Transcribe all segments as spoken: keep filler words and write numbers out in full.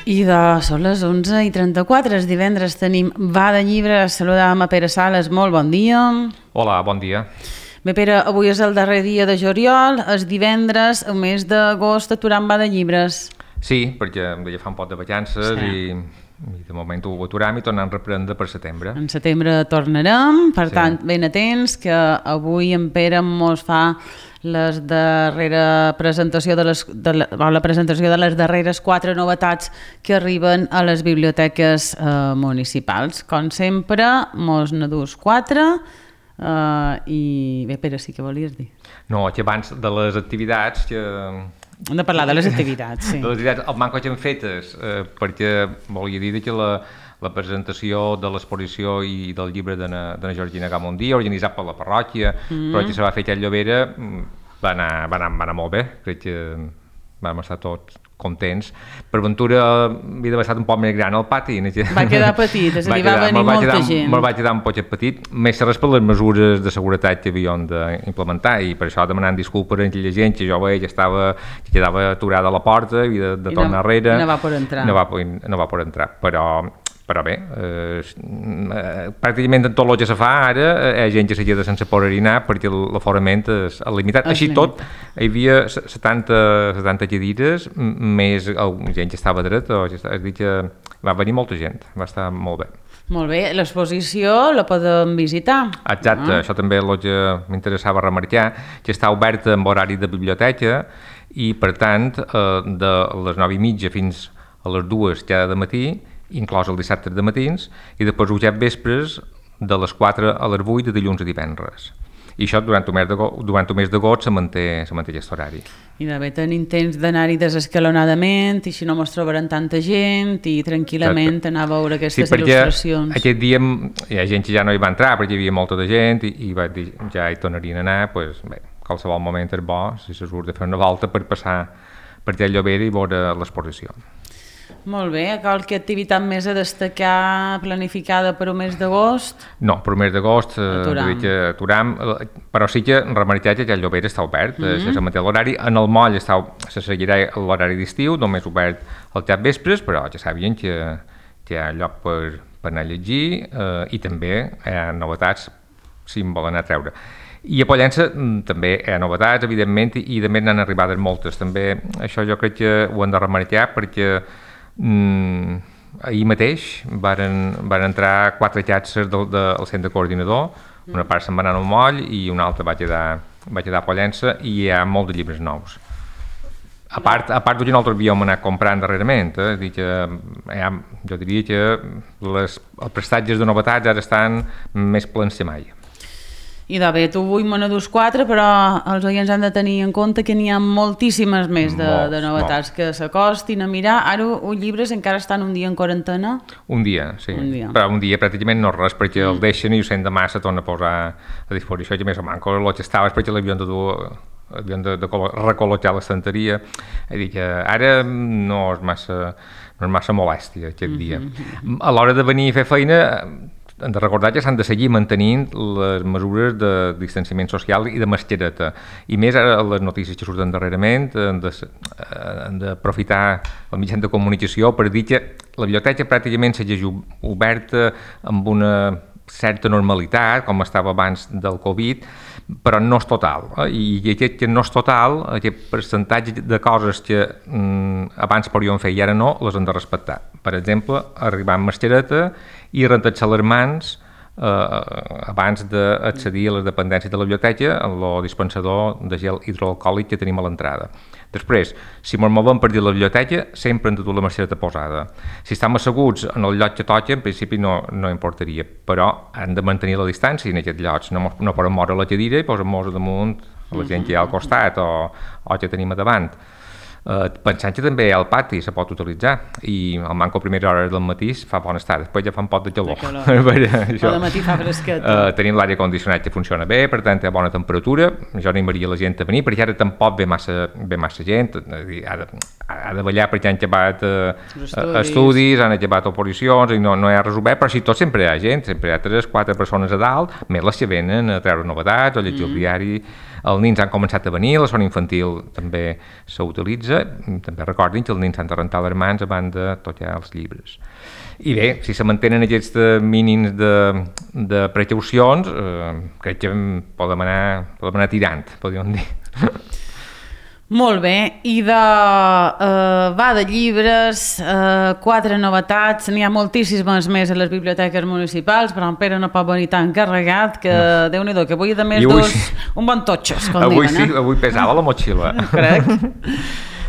I de, són les onze i trenta-quatre, el divendres tenim Va de Llibres, saludàvem a Pere Sales, molt bon dia. Hola, bon dia. Bé, Pere, avui és el darrer dia de juliol, el divendres, el mes d'agost, aturant Va de Llibres. Sí, perquè ja fa un pot de vacances sí. i, i de moment ho aturam i tornem a reprendre per setembre. En setembre tornarem, per sí. tant, ben atents, que avui en Pere mos fa les darrera presentació de les, de la, la presentació de les darreres quatre novetats que arriben a les biblioteques eh, municipals. Com sempre, mos n'ha dus quatre eh, i bé, Pere, sí que volies dir. No, que abans de les activitats que... Hem de parlar de les activitats, sí. De les activitats, el manco que hem fetes, eh, perquè volia dir que la, la presentació de l'exposició i del llibre de na, de na Georgina Gamondí, organitzat per la parròquia, mm. però que se va fer aquell Llobera, va anar, va, anar, va anar molt bé, crec que vam estar tots contents. Per ventura havia d'haver estat un poc més gran al pati. Va quedar petit, és a dir, va venir molta quedar, gent. Me'l va quedar un poquet petit, més res per les mesures de seguretat que havíem d'implementar i per això demanant disculpes a aquella gent que jo veia que estava, que quedava aturada a la porta, havia de, de tornar no, enrere. I no va poder entrar. No va, no va poder entrar, però... Però bé, eh, eh, pràcticament tot el que se fa ara hi ha gent que s'ha quedat sense poder anar perquè l'aforament és limitat. Així tot, hi havia setanta, setanta cadires, més gent que estava dreta, és a dir que va venir molta gent, va estar molt bé. Molt bé, l'exposició la podem visitar. Exacte, ah. Això també és el que m'interessava remarcar, que està oberta amb horari de biblioteca i per tant de les nou i mitja fins a les dues cada matí, inclòs el dissabte de matins, i després els vespres de les quatre a les vuit de dilluns a divendres. I això durant el mes d'agost, durant el mes d'agost se manté, se manté aquest horari. I de bé tenim temps d'anar-hi desescalonadament, i si no mos trobaran tanta gent, i tranquil·lament Exacte. Anar a veure aquestes sí, il·lustracions. Sí, aquest dia hi ha gent que ja no hi va entrar perquè hi havia molta de gent, i, i va dir, ja hi tornarien a anar, doncs bé, qualsevol moment és bo, si se surt de fer una volta per passar per allà Llobera i veure l'exposició. Molt bé, qualque activitat més a destacar planificada per un mes d'agost? No, per un mes d'agost aturam. aturam, però sí que remarcar que el Llobera està obert, mm -hmm. se manté l'horari, en el moll està, se seguirà l'horari d'estiu, només obert al cap vespres, però ja sabien que, que hi ha lloc per, per anar a llegir eh, i també hi ha novetats si en volen anar a treure. I a Pollença també hi ha novetats, evidentment, i també n'han arribades moltes. També això jo crec que ho hem de remarcar perquè Mm, ahir mateix varen, varen entrar quatre xatxes del, del centre coordinador, una part se'n va anar al moll i una altra va quedar, va quedar a Pollença i hi ha molts de llibres nous. A part, a part que nosaltres havíem anat comprant darrerament, eh? Dir que, ha, jo diria que les, els prestatges de novetats ara estan més plens que mai. I de bé, tu avui me n'adús quatre, però els oients han de tenir en compte que n'hi ha moltíssimes més de, molts, de novetats molts. Que s'acostin a mirar. Ara els llibres encara estan un dia en quarantena? Un dia, sí. Un dia. Però un dia pràcticament no res, perquè mm. el deixen i ho sent demà se torna a posar a disposició, que més o manco el que estava és perquè l'havien de dur, havien de, de recol·locar l'estanteria. És dir, que ara no és massa, no és massa molèstia aquest mm -hmm. dia. A l'hora de venir a fer feina, hem de recordar que s'han de seguir mantenint les mesures de distanciament social i de mascareta. I més ara les notícies que surten darrerament han d'aprofitar el mitjà de comunicació per dir que la biblioteca pràcticament segueix oberta amb una certa normalitat, com estava abans del Covid, però no és total. I aquest que no és total, aquest percentatge de coses que mm, abans podíem fer i ara no, les hem de respectar. Per exemple, arribar amb mascareta i rentar-se les mans eh, abans d'accedir a les dependències de la biblioteca en el dispensador de gel hidroalcohòlic que tenim a l'entrada. Després, si ens movem per dir la biblioteca, sempre hem de dur la mascareta posada. Si estem asseguts en el lloc que toca, en principi no, no importaria, però hem de mantenir la distància en aquests llocs. No, no podem moure la cadira i posem-nos damunt a la gent que hi ha al costat o, o que tenim a davant. Uh, pensant que també al pati se pot utilitzar i el manco a primera hora del matí fa bon estar, després ja fa un pot de calor, de calor. Però de matí fa fresquet. Uh, tenim l'aire condicionat que funciona bé, per tant té bona temperatura, jo animaria la gent a venir perquè ara tampoc ve massa, ve massa gent, ha de, ha de ballar perquè han acabat uh, estudis. estudis, han acabat oposicions i no, no hi ha res obert, però si tot sempre hi ha gent, sempre hi ha tres, quatre persones a dalt, més les que venen a treure novetats o llegir mm. el diari. els nins han començat a venir, la zona infantil també s'utilitza, també recordin que els nins han de rentar les mans abans de tocar els llibres. I bé, si se mantenen aquests mínims de, de precaucions, eh, crec que podem anar, podem anar tirant, podríem dir. Molt bé, i de, uh, va de llibres, uh, quatre novetats, n'hi ha moltíssimes més a les biblioteques municipals, però en Pere no pot venir tan carregat que, no. Déu-n'hi-do, que avui de més dos, sí. Un bon totxes, com avui diuen. Sí, eh? Avui pesava la motxilla. Crec.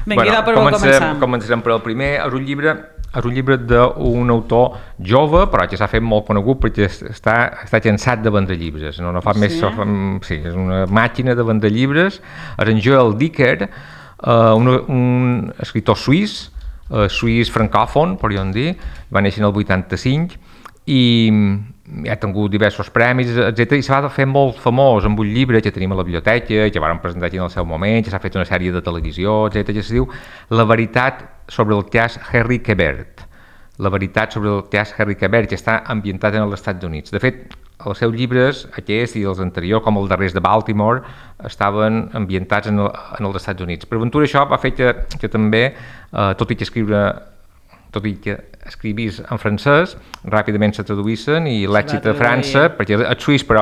Vinga, bueno, per comencem. Començarem per el primer, és un llibre... És un llibre d'un autor jove, però que s'ha fet molt conegut perquè està, està cansat de vendre llibres. No, no fa sí. més... Fa, sí, és una màquina de vendre llibres. És en Joel Dicker, uh, un, un escriptor suís, uh, suís francòfon, podríem dir, va néixer en el vuitanta-cinc, i ha tingut diversos premis, etcètera, i s'ha de fer molt famós amb un llibre que tenim a la biblioteca, que vàrem presentar aquí en el seu moment, que s'ha fet una sèrie de televisió, etcètera, que es diu La veritat sobre el cas Harry Quebert. La veritat sobre el cas Harry Quebert, que està ambientat en els Estats Units. De fet, els seus llibres, aquest i els anteriors, com els darrers de Baltimore, estaven ambientats en, el, en els Estats Units. Per aventura això va fer que, que també, eh, tot i que escriure tot i que escrivís en francès, ràpidament se traduïssen i l'èxit a França, perquè és suís però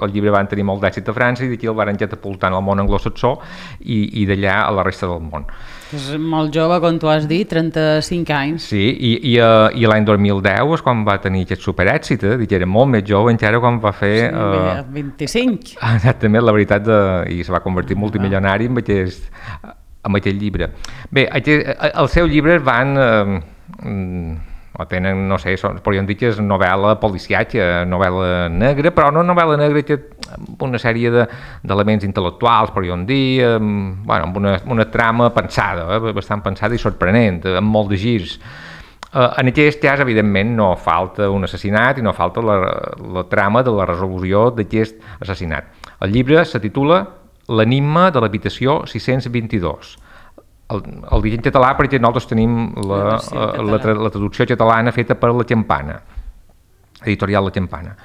el llibre van tenir molt d'èxit a França i d'aquí el van catapultar al món anglosaxó i, i d'allà a la resta del món. És molt jove, com tu has dit, trenta-cinc anys. Sí, i, i, i l'any dos mil deu és quan va tenir aquest superèxit, eh? Dic, era molt més jove encara quan va fer... Sí, uh, vint-i-cinc. Exactament, la veritat, de, i se va convertir en multimilionari amb aquest, amb aquest llibre. Bé, aquest, els seus llibres van... Eh, o tenen, no sé, són, podríem dir que és novel·la policiatge, novel·la negra, però no novel·la negra que amb una sèrie d'elements de, intel·lectuals, podríem dir, amb, bueno, amb una, una trama pensada, eh, bastant pensada i sorprenent, amb molt de girs. Uh, en aquest cas, evidentment, no falta un assassinat i no falta la, la trama de la resolució d'aquest assassinat. El llibre se titula L'enigma de l'habitació sis-cents vint-i-dos. El, el dic en català perquè nosaltres tenim la, la, la, la traducció catalana feta per La Campana, editorial La Campana.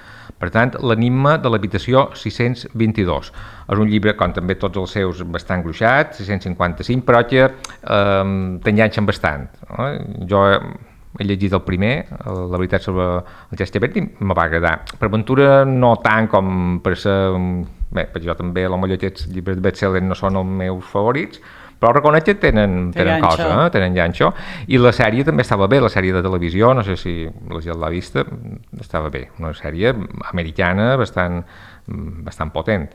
Per tant, l'enigma de l'habitació sis-cents vint-i-dos. És un llibre, com també tots els seus, bastant gruixat, sis-cents cinquanta-cinc, però que eh, t'enganxen bastant. No? Jo he llegit el primer, La veritat sobre el cas Quebert, i me va agradar. Per aventura no tant com per ser... Bé, perquè jo també, potser aquests llibres de best-seller no són els meus favorits, però reconec que tenen, tenen cosa, eh? Tenen llanxo, i la sèrie també estava bé, la sèrie de televisió, no sé si la gent l'ha vista, estava bé, una sèrie americana bastant, bastant potent.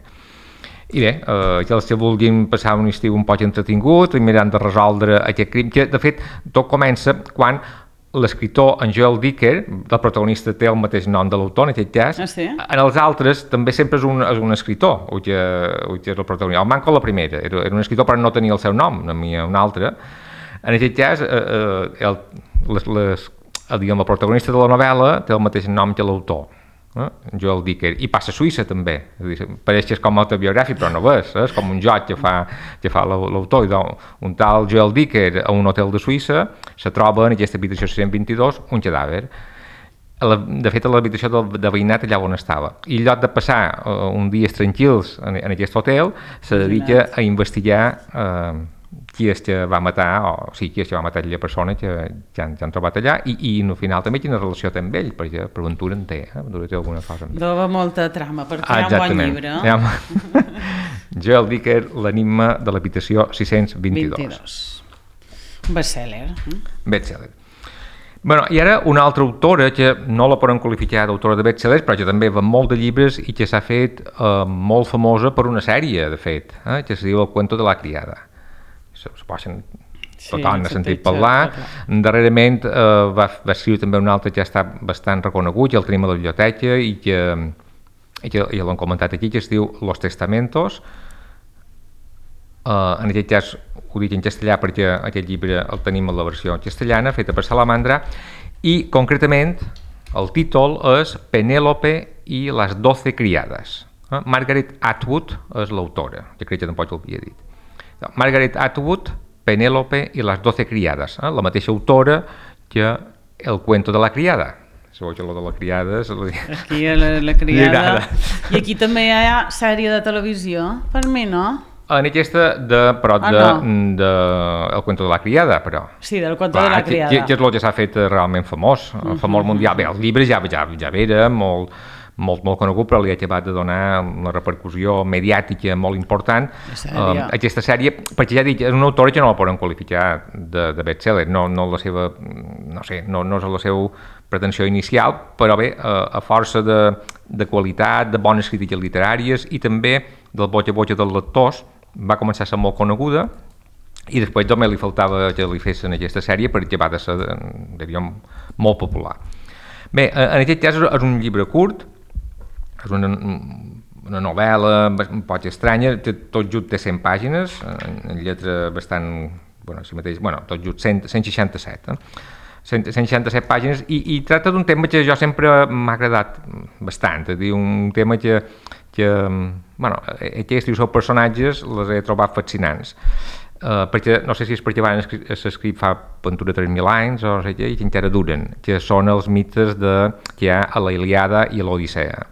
I bé, eh, que els que vulguin passar un estiu un poc entretingut i mirant de resoldre aquest crim, que de fet tot comença quan l'escriptor en Joel Dicker, el protagonista té el mateix nom de l'autor en aquest cas, ah, sí? En els altres també sempre és un, és un escriptor, o que, o que és el protagonista. El Manco la primera, era, era un escriptor però no tenia el seu nom, no havia un altre. En aquest cas, eh, el, les, les, el, diguem, el protagonista de la novel·la té el mateix nom que l'autor. Eh? Joel Dicker, i passa a Suïssa també, és dir, pareix que és com autobiogràfic però no ho és, eh? És com un joc que fa, que fa l'autor. Un tal Joel Dicker a un hotel de Suïssa se troba en aquesta habitació sis-cents vint-i-dos un cadàver. De fet, a l'habitació de, de veïnat allà on estava, i en lloc de passar uh, uns dies tranquils en, en aquest hotel se dedica a investigar eh, qui és que va matar, o sí, qui és que va matar aquella persona que ja han, ja han trobat allà, i, i al final també quina relació té amb ell, perquè per aventura en té, eh? Té alguna cosa. Dova molta trama, per crear ah, un bon llibre. No? Ja, Joel Dicker, l'enigma de l'habitació sis-cents vint-i-dos. vint-i-dos. Un best-seller. Best-seller. Bueno, i ara una altra autora que no la podem qualificar d'autora de best-sellers, però que també va molt de llibres i que s'ha fet eh, molt famosa per una sèrie, de fet, eh, que es diu El cuento de la criada. Suposen, tothom n'ha sentit parlar. Darrerament eh, va, va escriure també un altre que ha estat bastant reconegut, i el tenim a la biblioteca i que, i que ja l'han comentat aquí, que es diu Los Testamentos. Eh, en aquest cas ho dic en castellà perquè aquest llibre el tenim a la versió castellana, feta per Salamandra, i concretament el títol és Penélope i les doce criades. Eh? Margaret Atwood és l'autora, que crec que tampoc ho havia dit. Margaret Atwood, Penélope i les doce criades, eh? La mateixa autora que El cuento de la criada. Segur que lo de la criada... Li... Aquí la, la criada... I aquí també hi ha sèrie de televisió, per mi, no? En aquesta, de, però de, ah, no. de, El cuento de la criada, però... Sí, del cuento de la criada. Que, que és el que s'ha fet realment famós, uh -huh. famós mundial. Bé, el llibre ja, ja, ja era molt, molt, molt conegut, però li ha acabat de donar una repercussió mediàtica molt important. Uh, aquesta sèrie, perquè ja dic, és una autora que no la poden qualificar de, de best-seller, no, no la seva... no sé, no, no és la seva pretensió inicial, però bé, a, a força de, de qualitat, de bones crítiques literàries i també del boca a boca dels lectors, va començar a ser molt coneguda i després només li faltava que li fessin aquesta sèrie perquè va de ser, diríem, molt popular. Bé, en aquest cas és un llibre curt, és una, una novel·la un poc estranya, tot just té cent pàgines, en lletra bastant, bueno, si mateix, bueno, tot just cent, cent seixanta-set, eh? cent seixanta-set pàgines i, i tracta d'un tema que jo sempre m'ha agradat bastant, és a dir, un tema que, que bueno, aquests i els seus personatges les he trobat fascinants, uh, perquè no sé si és perquè van s'escrit fa aventura tres mil anys o no sé què, i que encara duren, que són els mites de, que hi ha a la Ilíada i a l'Odissea.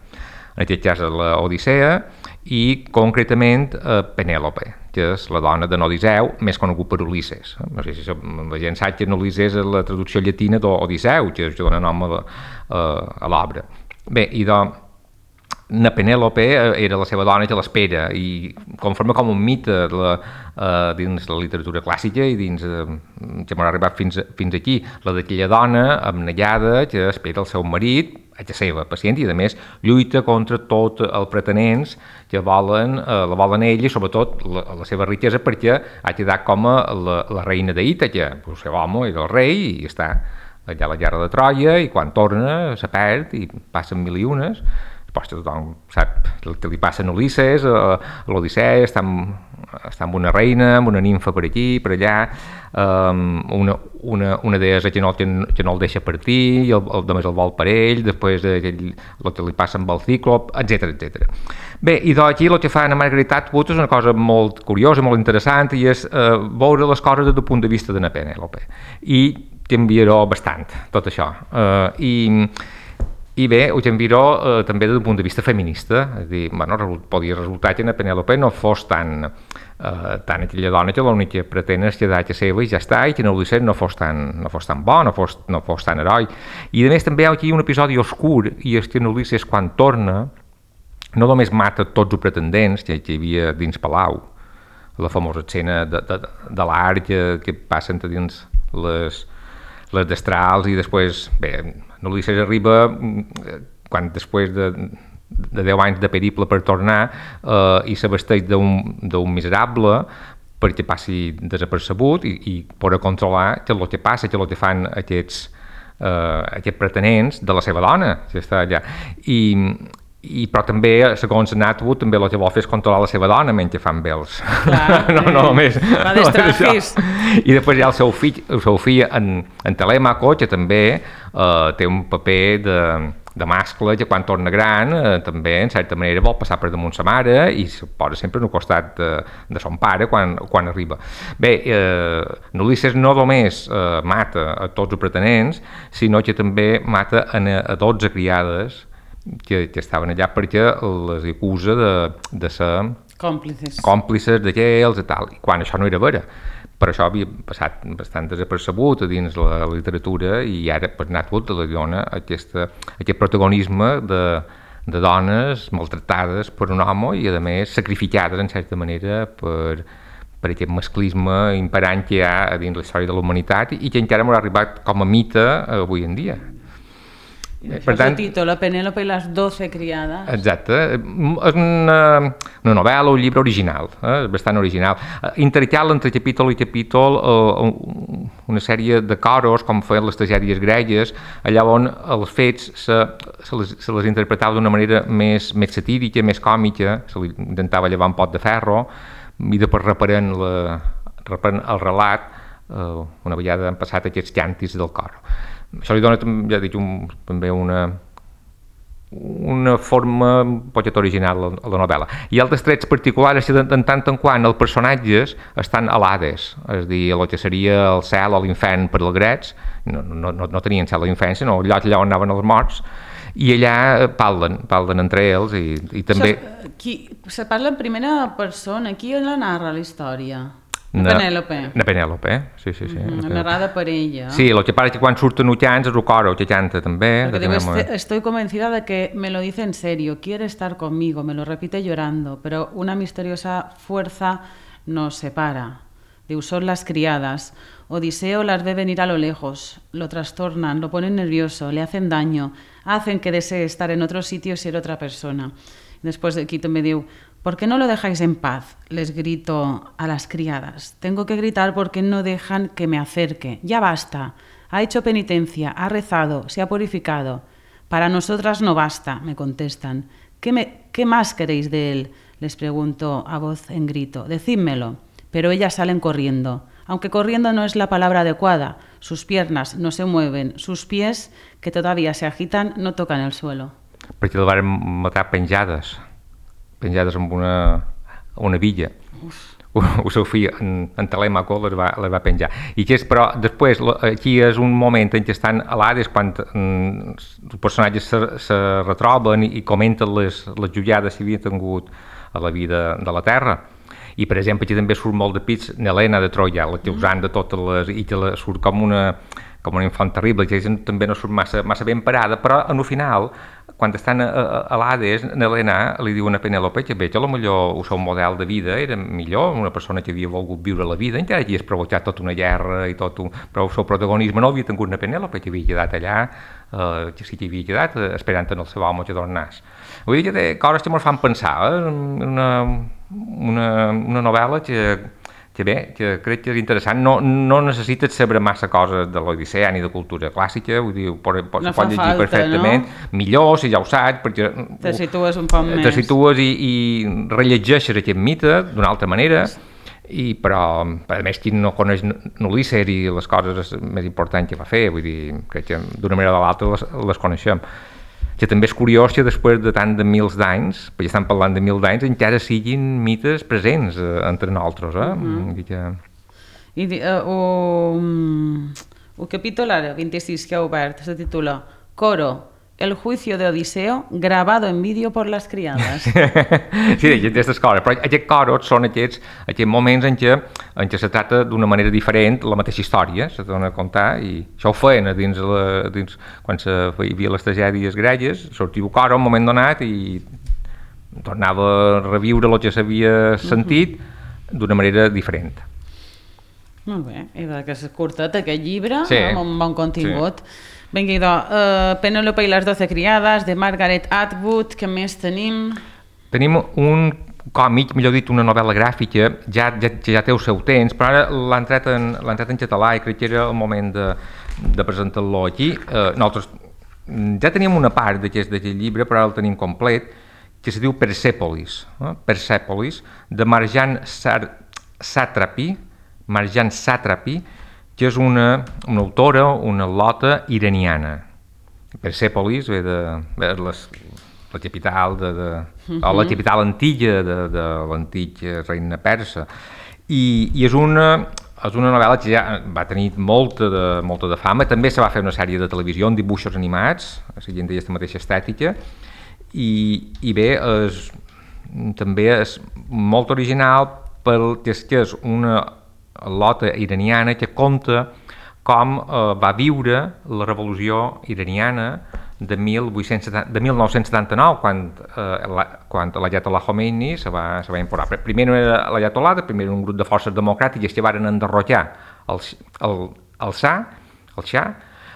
En aquest cas a l'Odissea i concretament uh, Penèlope, que és la dona de Odisseu, més conegut per Ulisses. No sé si la gent sap que Ulisses és la traducció llatina d'Odisseu, que dona nom a, a, a l'obra. Bé, i doncs, na Penèlope era la seva dona que l'espera i conforma com un mite la, uh, dins la literatura clàssica i dins uh, que m'ha arribat fins, fins aquí, la d'aquella dona abnegada que espera el seu marit, a la seva pacient, i a més lluita contra tots els pretenents que volen, uh, la volen ell i sobretot la, la seva riquesa perquè ha quedat com a la, la reina d'Ítaca, el seu home era el rei i està allà a la guerra de Troia i quan torna se perd i passen mil i unes. Després tothom sap el que li passa a Ulisses, a l'Odissea, està, està amb una reina, amb una nimfa per aquí, per allà, um, una, una, una deessa que no, que, que no el deixa partir, i el, el, només el vol per ell, després el, el que li passa amb el Cíclop, etcètera, etcètera. Bé, i d'aquí el que fa Anna Margaret Atwood és una cosa molt curiosa, molt interessant, i és uh, veure les coses des del punt de vista de na Penèlope. I t'enviaré bastant, tot això. Uh, i I bé, ho t'enviaré eh, també des d'un punt de vista feminista, és a dir, bueno, podia resultar que na Penèlope no fos tan, eh, tan aquella dona que l'únic que pretén és quedar a seva i ja està, i que no Ulisses no fos tan, no fos tan bo, no fos, no fos tan heroi. I a més també hi ha aquí un episodi oscur, i és que Ulisses quan torna no només mata tots els pretendents que, que hi havia dins Palau, la famosa escena de, de, de l'art que, que passen dins les, les destrals i després, bé, Ulisses arriba quan després de, de deu anys de periple per tornar eh, i s'abasteix d'un miserable perquè passi desapercebut i, i poder controlar que el que passa, que el que fan aquests, eh, aquests pretenents de la seva dona que està allà. I, i però també, segons Atwood, també el que vol fer és controlar la seva dona mentre fan bé els... Clar, no, no, només... Va d'estrafis. I després hi ha el seu fill, el seu fill en, en Telèmaco, que també eh, té un paper de, de mascle, que quan torna gran eh, també, en certa manera, vol passar per damunt sa mare i se posa sempre al costat de, de son pare quan, quan arriba. Bé, eh, Ulisses no només eh, mata a tots els pretenents, sinó que també mata a, a dotze criades que, que estaven allà perquè les acusa de, de ser còmplices, còmplices d'aquells i tal, i quan això no era vera. Per això havia passat bastant desapercebut dins la literatura i ara per Atwood li dona aquesta, aquest protagonisme de, de dones maltractades per un home i a més sacrificades en certa manera per, per aquest masclisme imperant que hi ha dins la història de la humanitat i que encara m'ha arribat com a mite avui en dia. I per tant, el títol, La Penèlope i les doce criades. Exacte, és una, una novel·la, un llibre original, eh? bastant original. Intercal entre capítol i capítol eh, una sèrie de coros, com feien les tragèdies gregues, allà on els fets se, se, les, se les interpretava d'una manera més, més satírica, més còmica, se li intentava llevar un pot de ferro, i després reparent, la, reparent el relat, eh, una vegada han passat aquests càntics del cor. Això li dona, ja dic, un, també una, una forma un poquet original a la novel·la. Hi ha altres trets particulars que de tant en quant els personatges estan a l'Hades, és a dir, el que seria el cel o l'infern per als grecs, no, no, no, no tenien cel o infern, sinó el lloc allà on anaven els morts, i allà parlen, parlen entre ells i, i també... Això, qui, se parla en primera persona, qui la narra la història? Na, Penèlope. Na Penèlope, sí, sí, sí. Mm, narrada per ella. Sí, el que passa és que quan surten uchans és el coro, que canta també. Porque digo, este, estoy convencida de que me lo dice en serio, quiere estar conmigo, me lo repite llorando, pero una misteriosa fuerza nos separa. Digo, son las criadas. Odiseo las ve venir a lo lejos, lo trastornan, lo ponen nervioso, le hacen daño, hacen que desee estar en otro sitio y ser otra persona. Después de aquí me digo, ¿por qué no lo dejáis en paz? Les grito a las criadas. Tengo que gritar porque no dejan que me acerque. Ya basta. Ha hecho penitencia, ha rezado, se ha purificado. Para nosotras no basta, me contestan. ¿Qué, me, ¿Qué más queréis de él? Les pregunto a voz en grito. Decídmelo. Pero ellas salen corriendo. Aunque corriendo no es la palabra adecuada. Sus piernas no se mueven. Sus pies, que todavía se agitan, no tocan el suelo. Perquè el van matar penjades. penjades amb una, una villa. El seu fill, en, en Telèmaco, les va, les va penjar. I que és, però després, aquí és un moment en què estan a l'Hades, quan mm, els personatges se, se retroben i, i comenten les, les jutjades que havien tingut a la vida de la Terra. I, per exemple, aquí també surt molt de pits Helena de Troia, la causant de totes les... i que la, surt com una, com una infant terrible, que també no surt massa, massa ben parada, però en el final, quan estan a, a, a l'Hades, Helena li diuen a Penèlope que bé, que potser el seu model de vida era millor, una persona que havia volgut viure la vida, encara que hagués provocat tota una guerra i tot un... però el seu protagonisme no havia tingut una Penèlope, que havia quedat allà, eh, que sí que havia quedat eh, esperant en el seu home que tornàs. Vull dir que té coses que ens fan pensar, eh? una, una, una novel·la que que bé, que crec que és interessant, no, no necessites saber massa coses de l'Odissea ni de cultura clàssica, vull dir, pot, pot, no pot llegir falta, perfectament, no? Millor si ja ho saps, perquè te situes un poc te més. Te situes i, i rellegeixes aquest mite d'una altra manera, i, però a més qui no coneix Ulysses i les coses més importants que va fer, vull dir, crec que d'una manera o de l'altra les, les coneixem. Que també és curiós que després de tant de mils d'anys, perquè estan parlant de mil d'anys, encara siguin mites presents eh, entre nosaltres. Eh? Uh-huh. que... I uh, un, un capítol ara, vint-i-sis, que ha obert, se titula Coro, el juicio de Odiseo, grabado en vídeo por las criadas. Sí, aquestes coses, però aquests coros són aquests, aquests moments en què, en què se trata d'una manera diferent la mateixa història, se dona a contar, i això ho feien dins, la, dins quan se feia les tragèdies gregues, sortia un coro un moment donat i tornava a reviure el que s'havia sentit uh-huh. d'una manera diferent. Molt bé, i que és curtet aquest llibre, sí. amb un bon contingut. Sí. Vinga, idò, uh, Penèlope i les doce criades, de Margaret Atwood, què més tenim? Tenim un còmic, millor dit, una novel·la gràfica, ja, ja, ja té el seu temps, però ara l'ha entrat en, l'ha entrat en català i crec que era el moment de, de presentar-lo aquí. Uh, nosaltres ja teníem una part d'aquest, d'aquest llibre, però ara el tenim complet, que se diu Persepolis, eh? Persepolis, de Marjane Satrapi, Marjane Satrapi, que és una, una autora, una lota iraniana. Persepolis ve de, de les, la capital de, de, uh-huh. o la capital antiga de, de l'antic regne persa. I, i és una, és una novel·la que ja va tenir molta de, molta de fama. També se va fer una sèrie de televisió amb dibuixos animats, seguint aquesta mateixa estètica. I, i bé, és, també és molt original perquè és, que és una lota iraniana que conta com eh, va viure la revolució iraniana de, mil nou-cents setanta-nou, quan, eh, la, quan l'Ayatollah Khomeini se va, se va imposar. Primer no era l'Ayatollah, primer era un grup de forces democràtiques que van enderrocar el, el, el Shah, el Shah,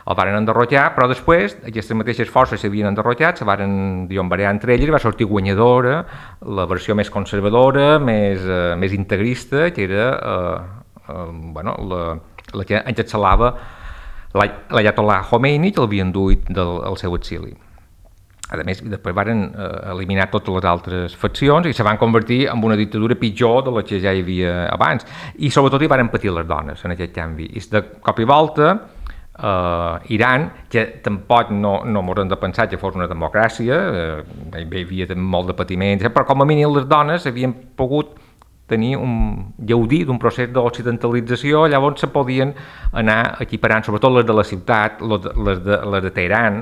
el van enderrocar, però després aquestes mateixes forces s'havien enderrocat, se van triombarear entre elles i va sortir guanyadora la versió més conservadora, més, eh, més integrista, que era eh, eh, bueno, la, la que encapçalava l'Ayatollah Khomeini, que l'havien duit del el seu exili. A més, després van eh, eliminar totes les altres faccions i se van convertir en una dictadura pitjor de la que ja hi havia abans. I sobretot hi van patir les dones en aquest canvi. I de cop i volta Uh, Iran, que tampoc no, no mos hem de pensar que fos una democràcia, uh, hi havia molt de patiment, però com a mínim les dones havien pogut tenir un gaudir d'un procés d'occidentalització, llavors se podien anar equiparant, sobretot les de la ciutat, les de, les de Teheran,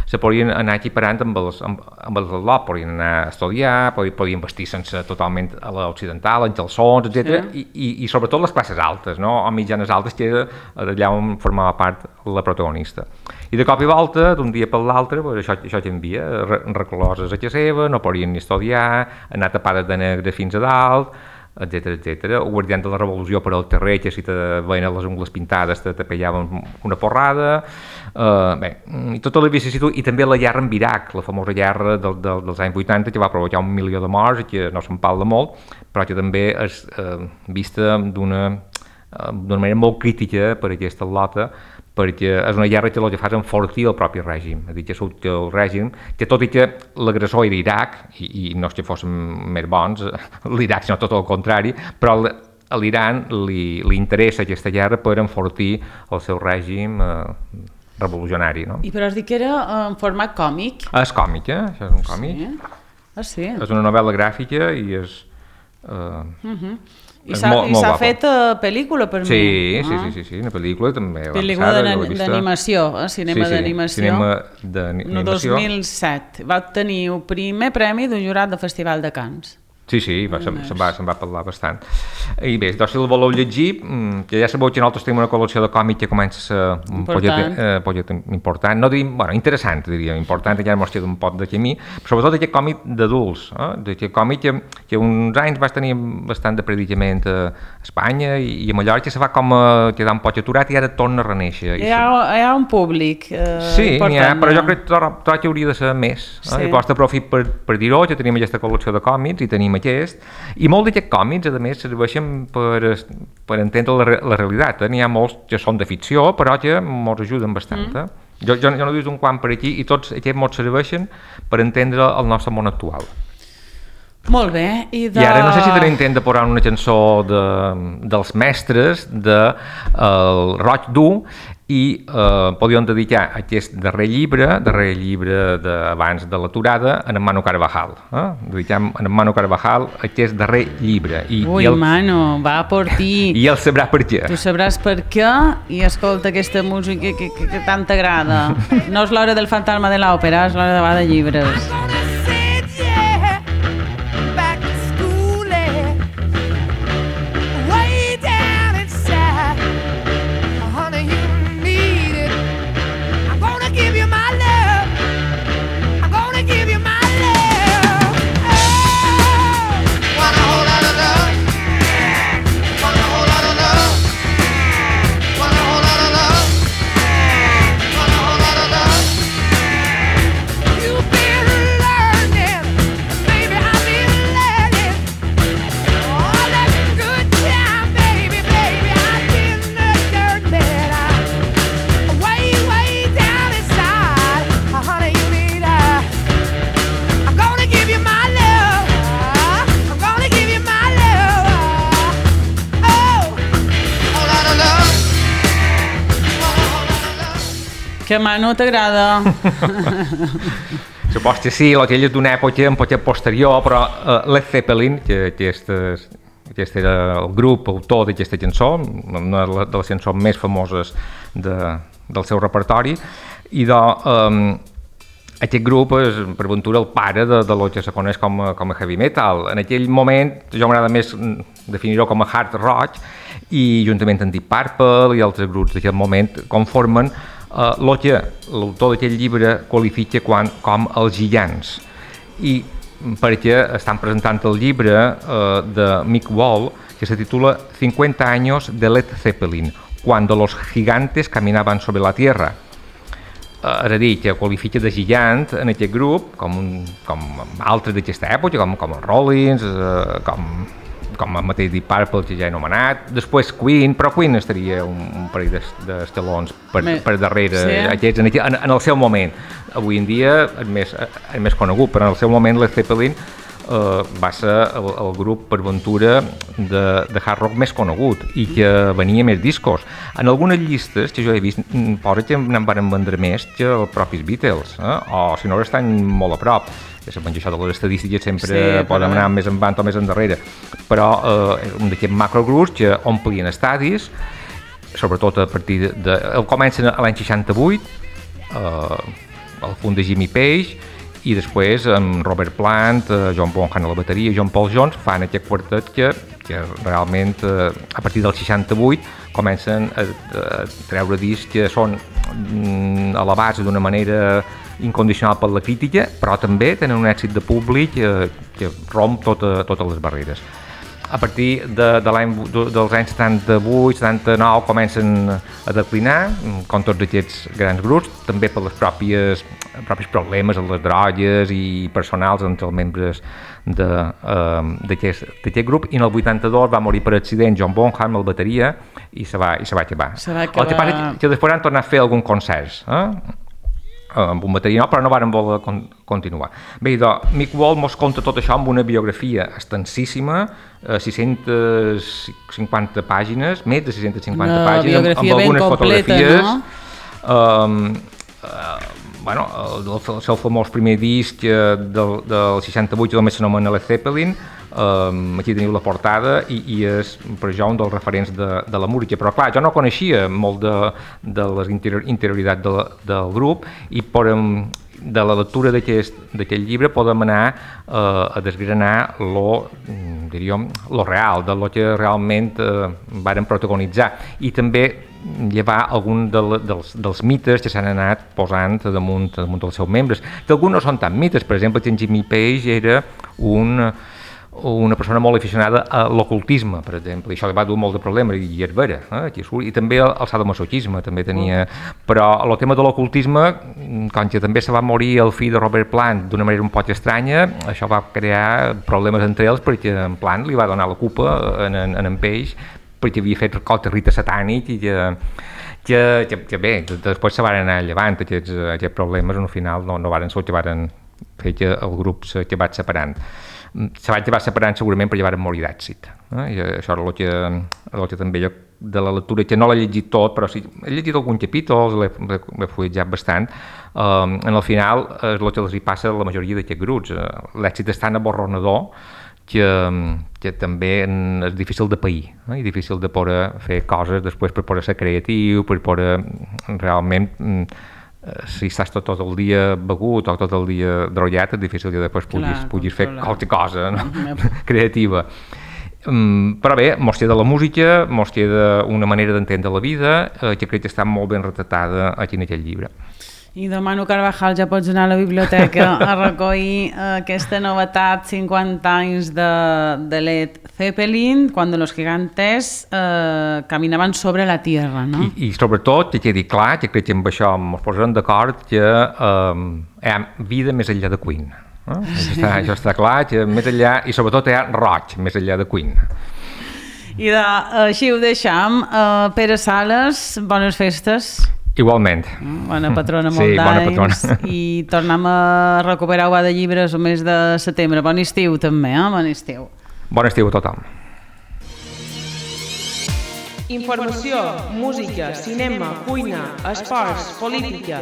se podien anar equiparant amb els, amb, amb els del lot, podien anar a estudiar, podien vestir sense totalment a l'occidental, en calçons, etcètera. Sí. I, i, i sobretot les classes altes, no? O mitjanes altes, que era allà on formava part la protagonista. I de cop i volta, d'un dia per l'altre, pues, això, això canvia, recloses a casa seva, no podien ni estudiar, anar tapades de negre fins a dalt, etcètera, etcètera. O guardians de la revolució per al carrer, que si te veien les ungles pintades te, te pellaven una porrada. Uh, bé, i tota la vicissituds, i també la guerra amb Iraq, la famosa guerra del, del, dels anys vuitanta, que va provocar un milió de morts, i que no se'n parla molt, però que també és uh, vista d'una uh, d'una manera molt crítica per aquesta lota, perquè és una guerra que el que fa és enfortir el propi règim, és a dir, que el règim, que tot i que l'agressor era Iraq, i, i no és que fóssim més bons, l'Iraq, sinó tot el contrari, però a l'Iran li, li interessa aquesta guerra per enfortir el seu règim eh, revolucionari. No? I però has dit que era en format còmic? És còmic, eh? Això és un còmic. Sí. Ah, sí? És una novel·la gràfica i és... Eh, uh-huh. I s'ha fet uh, pel·lícula per sí, mi? Sí, ah. sí, sí, sí, una pel·lícula també. Pel·lícula d'animació, eh? cinema sí, sí, d'animació. Cinema d'animació. No, dos mil set. Va obtenir el primer premi d'un jurat del Festival de Cannes. Sí, sí, va, se'n, se'n, va, se'n va parlar bastant. I bé, doncs si el voleu llegir, que ja sabeu que nosaltres tenim una col·lecció de còmic que comença a ser un projecte, eh, projecte important, no diríem, bueno, interessant, diríem, important, ja mos queda un pot de camí, però sobretot aquest còmic d'adults, eh? Aquest còmic que, que uns anys va tenir bastant de predicament a Espanya i, i a Mallorca se va com a quedar un poc aturat i ara torna a reneixer. Hi ha, hi ha un públic eh, sí, important. Sí, però jo crec que tot hauria de ser més. Eh? Sí. I costa profit per, per dir-ho, que tenim aquesta col·lecció de còmics i tenim aquest, i molts d'aquests còmics, a més, serveixen per, per entendre la, la realitat. Eh? N'hi ha molts que són de ficció, però que ens ajuden bastant. Eh? Mm. Jo, jo, jo no dius un quant per aquí, i tots aquests ens serveixen per entendre el nostre món actual. Molt bé. I, de... I ara no sé si tenim intent de posar una cançó de, dels mestres de el Roig Dur, i eh, podíem dedicar aquest darrer llibre, darrer llibre d'abans de l'aturada, a en Manu Carvajal. Eh? Dediquem a en Manu Carvajal aquest darrer llibre. I, Ui, i el... Manu, va per ti. I ell sabrà per què. Tu sabràs per què i escolta aquesta música que, que, que tant t'agrada. No és l'hora del fantasma de l'òpera, és l'hora de va de llibres. Que Manu t'agrada. Supos que sí, aquell és d'una època un poc posterior, però uh, Led Zeppelin, que, que aquest, aquest era el grup autor d'aquesta cançó, una de les cançons més famoses de, del seu repertori, i de, um, aquest grup és, per ventura, el pare de, de lo que se coneix com a, com a heavy metal. En aquell moment, jo m'agrada més definir-ho com a hard rock, i juntament amb Deep Purple i altres grups d'aquest moment conformen Uh, el que l'autor d'aquest llibre qualifica quan, com els gigants, i perquè estan presentant el llibre uh, de Mick Wall que se titula cincuenta años de Led Zeppelin, cuando los gigantes caminaban sobre la tierra. Uh, és a dir, que qualifica de gigant en aquest grup com, un, com altres d'aquesta època, com, com els Rollins, uh, com com el mateix Deep Purple, que ja he anomenat, després Queen, però Queen estaria un, un parell d'estalons per, per darrere, sí. Aquests, en, en, en el seu moment. Avui en dia és més, és més conegut, però en el seu moment Led Zeppelin eh, va ser el, el grup per ventura de, de hard rock més conegut i que venia més discos. En algunes llistes que jo he vist posa que n'en van vendre més que els propis Beatles, eh? O si no estan molt a prop. Ja sabem que això de les estadístiques sempre sí, poden anar més endavant o més endarrere, però eh, un d'aquests macrogrups que omplien estadis, sobretot a partir de... de comencen a l'any seixanta-vuit, eh, el fund de Jimmy Page, i després amb Robert Plant, eh, John Bonham a la bateria i John Paul Jones fan aquest quartet que, que realment eh, a partir del seixanta-vuit comencen a, a treure discs que són mm, elevats d'una manera incondicional per la crítica, però també tenen un èxit de públic eh, que romp tota, totes les barreres. A partir de, de l'any, dels anys setanta-vuit setanta-nou comencen a declinar, com tots aquests grans grups, també per les pròpies, propis problemes amb les drogues i personals entre els membres d'aquest uh, grup, i en el vuitanta-dos va morir per accident John Bonham, el bateria, i se va, i se va acabar. Se va acabar... El que passa és que després han tornat a fer algun concert, eh? amb un bateria nou, però no varen voler con continuar. Bé, doncs, Mick Wall mos conta tot això amb una biografia extensíssima, eh, sis-centes cinquanta pàgines, més de sis-centes cinquanta una pàgines, amb, amb algunes completa, fotografies. No? Um, uh, bueno, el, el seu famós primer disc eh, del, del seixanta-vuit només s'anomena Led Zeppelin. Um, aquí teniu la portada i, i és per jo un dels referents de, de la música, però clar, jo no coneixia molt de, de les interior, interioritats de, del grup, i podem, de la lectura d'aquest llibre podem anar uh, a desgranar lo, diríem, lo real, de lo que realment uh, varen protagonitzar, i també llevar algun de, dels, dels mites que s'han anat posant damunt, damunt dels seus membres, que alguns no són tan mites. Per exemple, que en Jimmy Page era un una persona molt aficionada a l'ocultisme, per exemple, i això li va dur molt de problemes, i és vera, eh? I també el sadomasoquisme també tenia, però el tema de l'ocultisme, com que també se va morir el fill de Robert Plant d'una manera un poc estranya, això va crear problemes entre ells, perquè en Plant li va donar la culpa en, en, en Page, perquè havia fet qualque rite satànic, i que, que, que, que bé, després se van anar llevant aquests, aquests problemes, al final no, no van ser que van fer que el grup se va separant. Se va acabar separant segurament perquè van morir d'èxit. Eh? I això era el que, el que també jo, de la lectura, que no l'he llegit tot, però sí, he llegit alguns capítols, l'he fulletjat bastant. Um, en el final és el que els hi passa a la majoria d'aquests grups. L'èxit és tan aborronador que, que també és difícil de pair, eh? I difícil de poder fer coses després per poder ser creatiu, per poder realment... si estàs tot, tot el dia begut o tot el dia drollat, és difícil que després puguis, clar, puguis fer qualque cosa, no? creativa. Um, però bé, mos queda la música, mos queda una manera d'entendre la vida, eh, que crec que està molt ben retratada aquí en aquest llibre. I demano, Carvajal, ja pots anar a la biblioteca a recollir aquesta novetat, cinquanta anys de, de Led Zeppelin, quan los gigantes eh, caminaven sobre la Tierra, no? I, i sobretot, que quedi clar, que crec que amb això ens posarem d'acord, que eh, hi ha vida més enllà de Queen. Eh? Sí. Això, està, això està clar, que més enllà, i sobretot hi ha roig més enllà de Queen. I de, així ho deixam. Uh, Pere Sales, bones festes. Igualment. Bona patrona, molt sí, d'anys. I tornem a recuperar Uà de Llibres el mes de setembre. Bon estiu també, eh? Bon estiu. Bon estiu a tothom. Informació, música, cinema, cuina, esports, política...